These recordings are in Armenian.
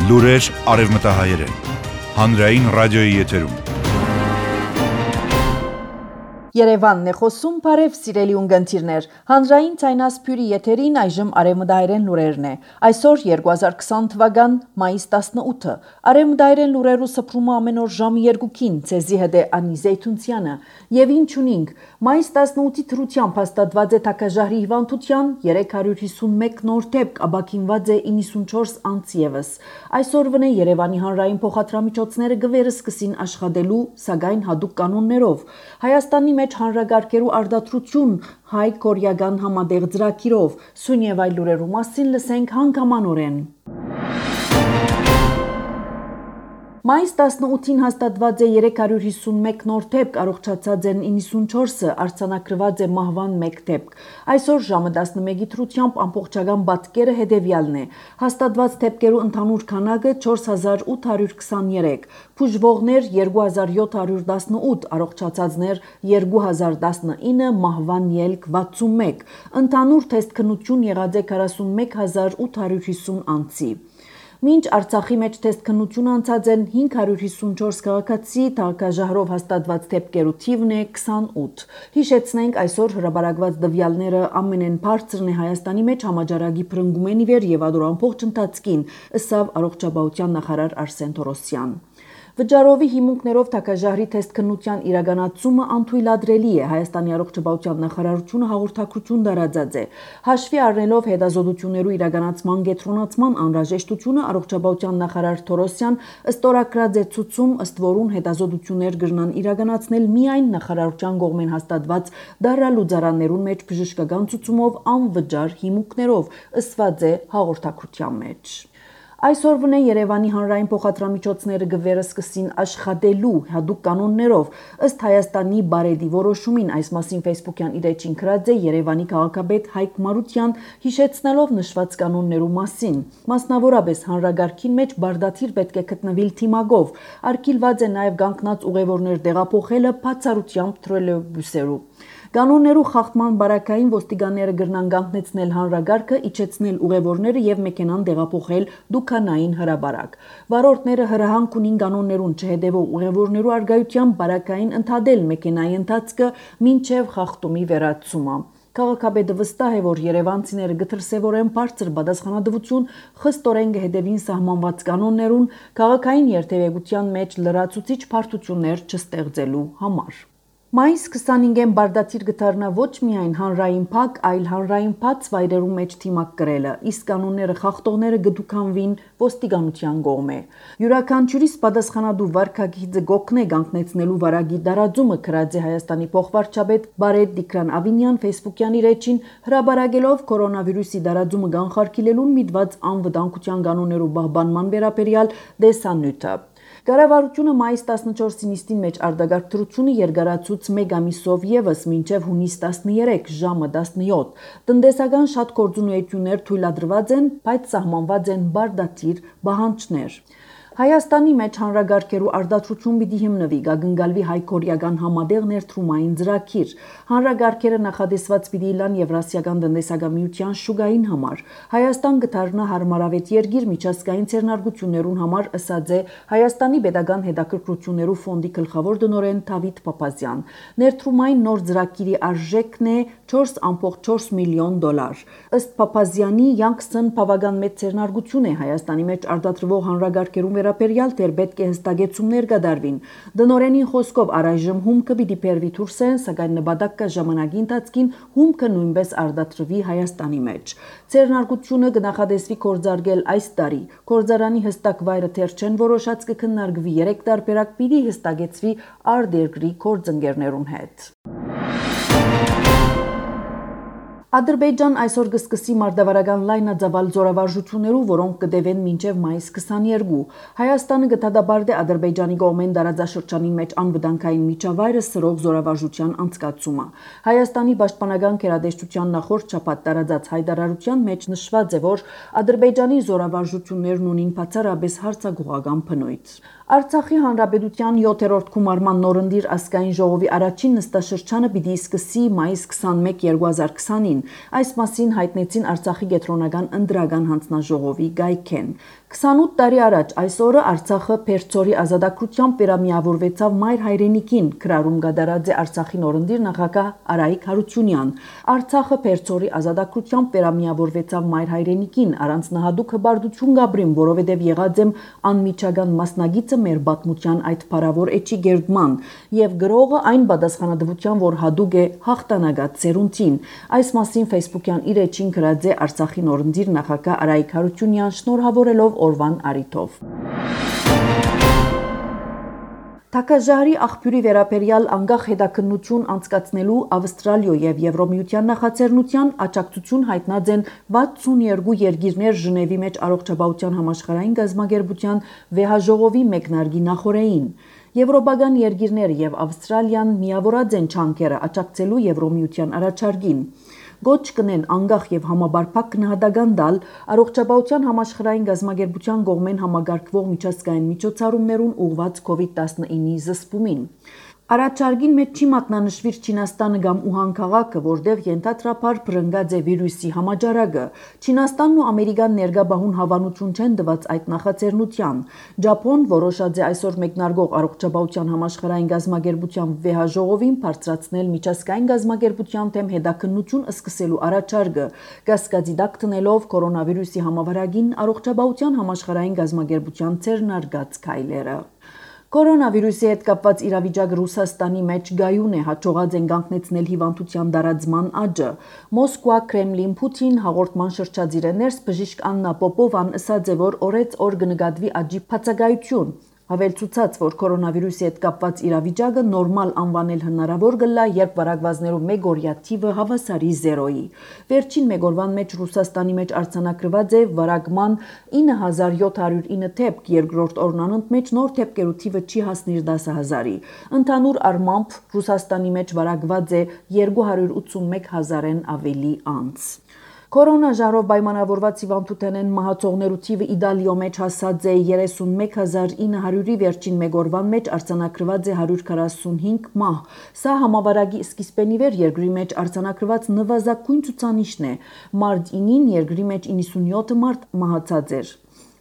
Լուրեր արևմտահայերեն, հանրային ռադիոյի եթերում։ Երևանն է խոսում, բարև սիրելի ունգընտիրներ, հանրային ցայնասփյուրի եթերին այժմ արևմտահայերեն լուրերն է։ Այսօր 2020 թվական մայիս 18-ը, արևմտահայերեն լուրերու սփռումը ամեն օր ժամը 2-ին, ցեզի հետ է Անի Զեյթունցյանը, եւ ինչ ունինք, մայիս 18-ի թրությամբ հաստատված է Թակաժահրի հիվանդության 351 նոր դեպք, աբակինված է 94 անձ եւս։ Այսօրվն է Երևանի հանրային փոխադրամիջոցները գվերը սկսին աշխատելու, սակայն հատուկ կանոններով։ Հայաստանի մեջ հանրագարկերու արդարություն հայ-կորեական համատեղ ծրագիրով, սույն եւ այլ լուրերու մասին լսենք հանգամանորեն։ Մայիս 18-ին հաստատված է 351 նոր դեպք, առողջացած են 94-ը, արձանագրված է մահվան 1 դեպք։ Այսօր ժամը 11-ի թրությամբ ամբողջական պատկերը հետևյալն է։ Հաստատված դեպքերու ընդհանուր քանակը 4823, բուժվողներ 2718, առողջացածներ 2019, մահվան ելք 61, ընդհանուր թեստ քննություն եղած է 41850 անձի։ Մինչ Արցախի մեջ թեստ քննություն անցած են 554 քաղաքացի, Թակաժահրով հաստատված դեպքերու թիվն է 28։ Հիշեցնենք, այսօր հրաբարակված տվյալները ամենեն բարձրն է Հայաստանի մեջ համաճարակի փրկումեն ի վեր եւ ադոր ամբողջ ընթացքին, ըսավ առողջապահության նախարար Արսեն Թորոսյան։ Վճարովի հիմունքներով Թակաժահրի թեստ քննության իրականացումը անթույլատրելի է, Հայաստանի առողջապահության նախարարությունը հաղորդակցություն տարածած է։ Հաշվի առնելով հետազոտություններու իրականացման կենտրոնացման անհրաժեշտությունը, առողջապահության նախարար Թորոսյան ստորագրած է ցուցում, ըստ որուն հետազոտություններ կրնան իրականացնել միայն նախարարության կողմեն հաստատված դարալուծարաններուն մեջ բժշկական ցուցումով անվճար հիմունքներով, ըսված է հաղորդակցության մեջ։ Այսօրվն է Երևանի հանրային փոխադրամիջոցները գվերը սկսին աշխատելու հատուկ կանոններով, ըստ Հայաստանի բարեդի որոշումին, այս մասին Facebook-յան իր էջին գրած է Երևանի քաղաքապետ Հայկ Մարության, հիշեցնելով նշված կանոններու մասին։ Մասնավորապես հանրագարքին մեջ բարդաթիր պետք է գտնվիլ թիմագով, արգելված է նաև կանգնած ուղևորներ տեղափոխելը բացառությամբ թրոլեյբուսերու։ Կանոններու խախտման բարակային ոստիկանները կրնան կանգնեցնել հանրագարքը, իջեցնել ուղևորները եւ մեքենան տեղափոխել դուքանային հրաբարակ։ Վարորդները հրահանգ ունին կանոններուն չհետևող ուղևորներու արգայությամբ բարակային ընդհատել մեքենայի ընթացքը մինչեւ խախտումի վերացումը։ Քաղաքապետը վստահ է, որ երևանցիները գտրսևորեն բարձր պատասխանատվություն, խստորեն կհետևին սահմանված կանոններուն, քաղաքային երթևեկության մեջ լրացուցիչ բարդություններ չստեղծելու համար։ Մայիս 25-ին բարդաթիր գտարնա ոչ միայն հանրային փակ, այլ հանրային բաց վայրերու մեջ թիմակ կրելը, իսկ կանոնները խախտողները գդուքանվին ոստիկանության կողմէ։ Յուրաքանչյուրիս պատասխանատու վարքագիծը գոքնե կանգնեցնելու վարագի տարածումը գրած է Հայաստանի փոխվարչապետ Բարեդ Տիգրան Ավինյան Facebook-յան իր էջին, հրաբարակելով կորոնավիրուսի տարածումը կանխարգելելուն միտված անվտանգության կանոններու պահպանման վերաբերյալ տեսանյութը։ Կառավարությունը մայիս 14-ի նիստին մեջ արտագաղթությունը երկարացուց 1 ամիսով եւս մինչեւ հունիս 13 ժամը 17։ Տնտեսական շատ գործունեություններ թույլատրված են, բայց սահմանված են բարդաթիր պահանջներ։ Հայաստանի մեջ հանրագարքերու արդարություն պիտի հիմնվի, գագնգալվի հայ-կորեական համատեղ ներդրումային ծրագիր։ Հանրագարքերը նախադեсված պիտի լան Եվրասիական տնտեսական միության շուկային համար։ Հայաստան կդառնա հարմարավետ երկիր միջազգային ցերնարգություններուն համար, ըսած է Հայաստանի Պետական հետաքրքրություններու ֆոնդի գլխավոր տնօրեն Դավիթ Փափազյան։ Ներդրումային նոր ծրագիրի արժեքն է 4.4 միլիոն դոլար։ Ըստ Փափազյանի, Յանգսն բավական մեծ ցերնարգություն է Հայաստանի մեջ արտադրվող հանրագարքերու վերաբերյալ դեռ պետք է հստակեցումներ կատարվին։ Դնորենի խոսքով առայժմ հումքը պիտի բերվի դուրսեն, սակայն նպատակ կա ժամանակի ընթացքին հումքը նույնպես արտադրվի Հայաստանի մեջ։ Ցերնարգությունը կնախադեсվի կորձարկել այս տարի։ Կորձարանի հստակ վայրը դեռ չեն որոշած, կքննարկվի 3 տարբերակ, պիտի հստակեցվի արտերկրի գործընկերներուն հետ։ Ադրբեջան այսօր կսկսի մարտավարական լայնածավալ զորավարժություններու, որոնք կդեվեն մինչև մայիս 22։ Հայաստանը կդատապարտի Ադրբեջանի կողմեն տարածաշրջանի մեջ անվտանգային միջավայրը սրող զորավարժության անցկացումը։ Հայաստանի պաշտպանական գերատեսչության նախորդ շաբաթ տարածած հայտարարության մեջ նշված է, որ Ադրբեջանի զորավարժություններն ունին բացառապես հարձակողական բնույթ։ Արցախի հանրապետության 7-րդ գումարման նորընտիր ազգային ժողովի առաջին նստաշրջանը պիտի սկսի մայիս 21, 2020-ին։ Այս մասին հայտնեցին Արցախի կենտրոնական ընտրական հանձնաժողովի գայքեն։ 28 տարի առաջ այս օրը Արցախը Փերծորի ազատագրությամբ վերամիավորվեցավ մայր հայրենիքին, քրարում գդարած է Արցախի նորընտիր նախագահ Արայիկ Հարությունյան։ Արցախը Փերծորի ազատագրությամբ վերամիավորվեցավ մայր հայրենիքին, առանց նահատուկ հբարդություն գաբրին, որովհետև եղած եմ անմիջական մասնագիծը մեր պատմության այդ փառավոր էջի գերդման եւ գրողը այն պատասխանատվության, որ հադուկ է հաղթանակած սերունդին։ Այս մասին Facebook-յան իր էջին գրած է Արցախի նորընտիր նախագահ Արայիկ Հարությունյան, շնորհավորելով օրվան առիթով։ Թակաժահրի աղբյուրի վերաբերյալ անկախ հետաքննություն անցկացնելու Ավստրալիա եւ Եվրոմիության նախաձեռնության աջակցություն հայտնած են 62 երկիրներ Ժնևի մեջ առողջապահության համաշխարհային գազագերբության վեհաժողովի մեկնարկի նախորդին։ Եվրոպական երկիրները եւ Ավստրալիան միավորած են չանկերը աջակցելու Եվրոմիության առաջարկին։ Գոչ կնեն անկախ եւ համաբարփակ գնահատական տալ առողջապահության համաշխարհային գազագերբության կողմեն համագարկվող միջազգային միջոցառումներուն ուղղված COVID-19-ի զսպումին։ Առաջարկին մեջ չի մատնանշվիր Չինաստանը կամ Ուհան քաղաքը, որտեղ ենթադրաբար բռնկած է վիրուսի համաճարակը։ Չինաստանն ու Ամերիկան ներգաբահուն հավանություն չեն տված այդ նախաձեռնության։ Ճապոն որոշած է այսօր մեկնարկող առողջապահության համաշխարհային գազագերբության վեհաժողովին բարձրացնել միջազգային գազագերբության թեմ հետաքննություն սկսելու առաջարկը, կասկածի տակ դնելով կորոնավիրուսի համավարակին առողջապահության համաշխարհային գազագերբության ձեռնարկած քայլերը։ Կորոնավիրուսի հետ կապված իրավիճակը Ռուսաստանի մեջ գայուն է, հաջողած են կանգնեցնել հիվանդության տարածման աճը։ Մոսկվա, Կրեմլին, Պուտին հաղորդման շրջադիրը ներս բժիշկ Աննա Պոպովան ասաց է, որ օրեց օր կնկատվի աճի բացակայություն։ Հավելցուցած, որ կորոնավիրուսի հետ կապված իրավիճակը նորմալ անվանել հնարավոր կլա, երբ վարակվածներու մեկ օրյա թիվը հավասարի 0-ի։ Վերջին մեկ օրվան մեջ Ռուսաստանի մեջ արձանագրված է վարակման 9709 դեպք, երկրորդ օրն անընդմեջ նոր դեպքերու թիվը չի հասնիր 10,000-ի։ Ընդհանուր առմամբ Ռուսաստանի մեջ վարակված է 281,000-ն ավելի անց։ Կորոնաժարով պայմանավորված հիվանդութենեն մահացողներու թիվը Իտալիո մեջ հասած է 31900-ի, վերջին մեկ օրվան մեջ արձանագրված է 145 մահ։ Սա համավարակի սկիզբենի վեր երկրի մեջ արձանագրված նվազագույն ցուցանիշն է։ Մարտ 9-ին երկրի մեջ 97 մարդ մահացած էր։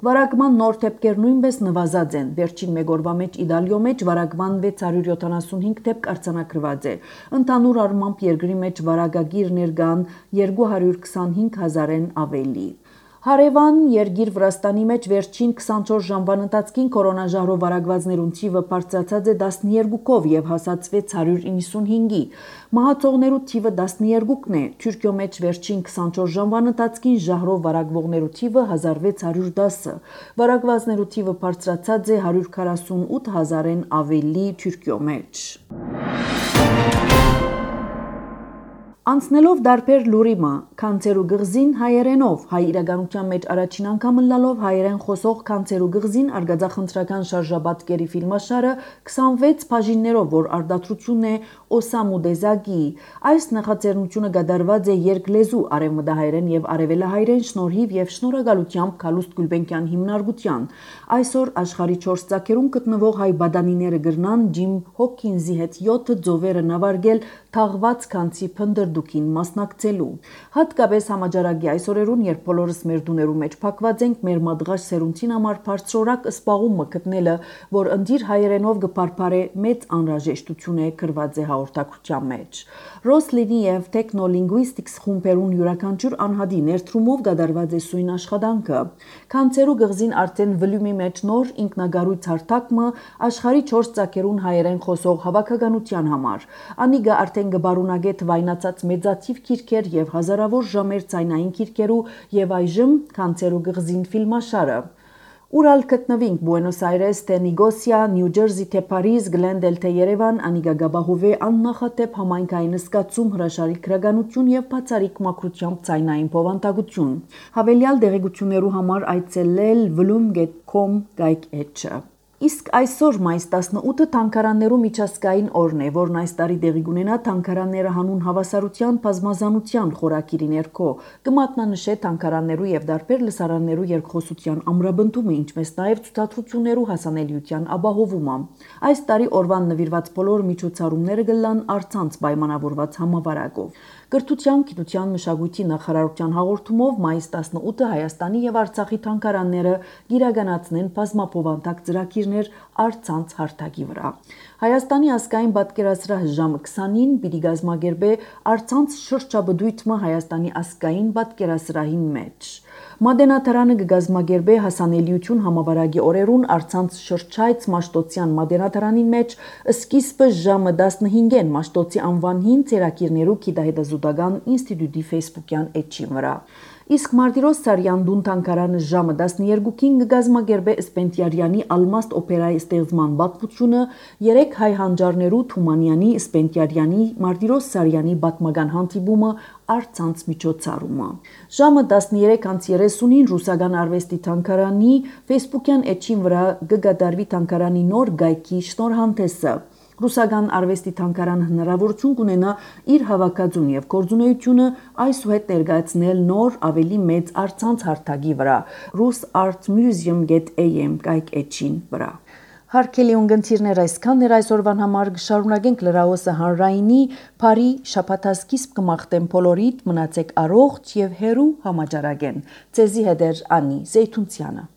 Վարակման նոր դեպքեր նույնպես նվազած են։ Վերջին մեկ օրվա մեջ Իտալիո մեջ վարակման 675 դեպք արձանագրված է։ Ընդհանուր առմամբ երկրի մեջ վարակագիրներ կան 225,000-ն ավելի։ Հարևան երկիր Վրաստանի մեջ վերջին 24 ժամվան ընթացքին կորոնաժահրով վարակվածներուն թիվը բարձրացած է 12-ով եւ հասած 695-ի։ Մահացողներու թիվը 12-ն է։ Թուրքիո մեջ վերջին 24 ժամվան ընթացքին ժահրով վարակվողներու թիվը 1610-ը։ Վարակվածներու թիվը բարձրացած է 148,000-ն ավելի Թուրքիո մեջ։ Անցնելով դարբեր լուրիմը, Կանցերու գղզին հայերենով, հայ իրականության մեջ առաջին անգամ լալով հայերեն խոսող Կանցերու գղզին արգածախնդրական շարժաբատկերի ֆիլմաշարը 26 բաժիններով, որ արդատրությունն է Օսամու Դեզագի։ Այս նախաձեռնությունը կատարված է երկլեզու արևմտահայերեն եւ արևելահայերեն շնորհիվ եւ շնորհակալությամբ Քալուստ Գուլբենկյան հիմնարկության։ Այսօր աշխարհի 4 ծագերում գտնվող հայ բադանիները գրնան Ջիմ Հոքինզի հետ 7 ծովերը նավարգել թաղված Կանցի փնդրդուքին մասնակցելու։ Հատկապես համաճարակի այս օրերուն, երբ բոլորս մեր դուներու մեջ փակված ենք, մեր մադղաշ սերունդին համար բարձրորակ սպաղումը գտնելը, որ ընդիր հայերենով կփարփարե մեծ անհրաժեշտություն է գրված է հաղորդակցության մեջ։ Ռոսլինի եւ Technolingvistics խումբերուն յուրաքանչյուր անհատի ներդրումով կատարված է սույն աշխատանքը։ Կանցերու գղզին արդեն վլյումի մեջ նոր ինքնագարույց հարթակը աշխարհի 4 ծագերուն հայերեն խոսող հավաքականության համար։ Անիգա արդեն կբարունակե թվայնացած մեծաթիվ քիրքեր եւ հազարավոր ժամեր ցայնային քիրքերու եւ այժմ Կանցերու գղզին ֆիլմաշարը։ Ուրալ գտնվինք Բուենոս Այրես, թե Նիգոսիա, Նյու Ջերսի, թե Փարիզ, Գլենդել, թե Երևան, Անիգա Գաբահովե աննախատեպ համայնքային զգացում, հրաշալի քրագանություն եւ բացարիք մակրությամբ ցայնային փոխանցություն։ Հավելյալ դեղեցություններու համար այցելել vlum.com գայք էջը։ Իսկ այսօր մայիս 18-ը թանգարաններու միջազգային օրն է, որն այս տարի տեղի կունենա թանգարանները հանուն հավասարության բազմազանության խորագիրի ներքո, կմատնանշե թանգարաններու եւ դարբեր լսարաններու երկխոսության ամրապնդումը, ինչպես նաեւ ցուցադրություններու հասանելիության ապահովումը։ Այս տարի օրվան նվիրված բոլոր միջոցառումները կլան առցանց պայմանավորված համավարակով։ Կրթության, գիտության, մշակույթի նախարարության հաղորդումով մայիս 18-ը Հայաստանի եւ Արցախի թանգարանները գիրականացնեն բազմապովանտակ ծրագիրներ առցանց հարթակի վրա։ Հայաստանի ազգային պատկերասրահ ժամը 20-ին պիտի կազմակերպե առցանց շրջաբդույթը Հայաստանի ազգային պատկերասրահին մեջ։ Մատենադարանը կգազմագերբե հասանելիություն համավարակի օրերուն առցանց շրջայց Մաշտոցյան մատենադարանին մեջ սկիզբը ժամը 15-ին Մաշտոցի անվանին ծերակիրներու գիտահետազոտական ինստիտուտի Facebook-յան էջին վրա։ Իսկ Մարտիրոս Սարյան-Դուն թանգարանը ժամը 12-ին կգազմագերբե Սպենտիարյանի Ալմաստ օպերայի ստեղծման պատմությունը 3 հայ հանճարներու Թումանյանի, Սպենտիարյանի, Մարտիրոս Սարյանի պատմական հանդիպումը առցանց միջոցառումը։ Ժամը 13:30-ին Ռուսական արվեստի թանգարանի Facebook-յան էջին վրա կգադարվի թանգարանի նոր գայքի շնորհանդեսը։ Ռուսական արվեստի թանգարանը հնարավորություն կունենա իր հավաքածուն եւ գործունեությունը այսուհետ ներկայացնել նոր ավելի մեծ առցանց հարթակի վրա rusartmuseum.am կայք էջին վրա։ Հարկելի ունգընթիրներ այսքան էր այսօրվան համար կշարունակենք լրահոսը հանրայինի բարի շաբաթասկիզբ կմաղթեմ բոլորիդ մնացեք առողջ եւ հերու համաճարակեն։ Ձեզի հետ էր Անի Զեյթունցյանը։